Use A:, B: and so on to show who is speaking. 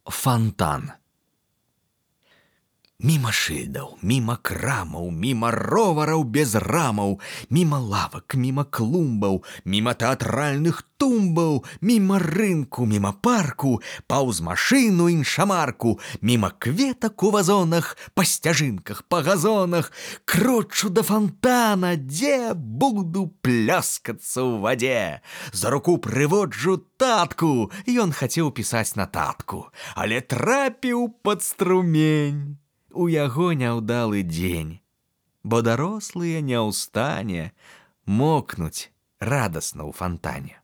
A: Фонтан. Міма шыльдаў, міма крамаў, міма ровараў без рамаў, міма лавак, міма клумбаў, міма тэатральных тумбаў, міма рынку, міма парку, паўз машыну іншамарку, міма кветак у вазонах, па сцяжынках, па газонах, крочу да фонтана, дзе буду пляскацца ў вадзе. За руку прыводжу татку, ён хацеў пісаць нататку, але трапіў пад струмень. У яго няўдалы дзень, бо дарослыя не ў стане мокнуць радасна ў фонтане.